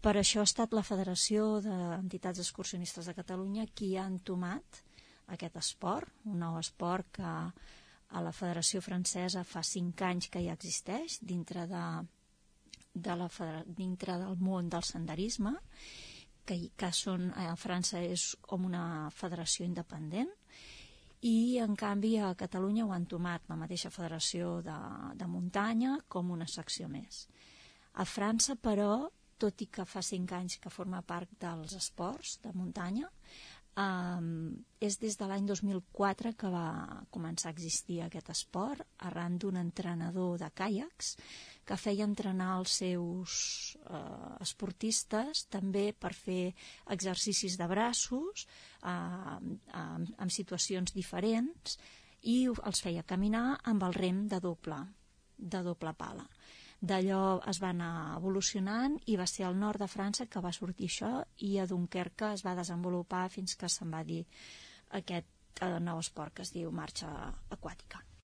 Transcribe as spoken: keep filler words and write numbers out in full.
Per això ha estat la Federació d'Entitats Excursionistes de Catalunya qui ha entomat aquest esport, un nou esport que a la Federació Francesa fa cinc anys que ja existeix dintre, de, de la, dintre del món del senderisme, que, que són, a França és com una federació independent, i en canvi a Catalunya ho han entomat la mateixa Federació de, de Muntanya com una secció més. A França, però, tot i que fa cinc anys que forma part dels esports de muntanya, Um, és des de l'any dos mil quatre que va començar a existir aquest esport arran d'un entrenador de caiacs que feia entrenar els seus uh, esportistes també per fer exercicis de braços uh, uh, en situacions diferents, i els feia caminar amb el rem de doble, de doble pala. D'allò es va anar evolucionant i va ser al nord de França que va sortir això, i a Dunkerque es va desenvolupar fins que se'n va dir aquest nou esport que es diu marxa aquàtica.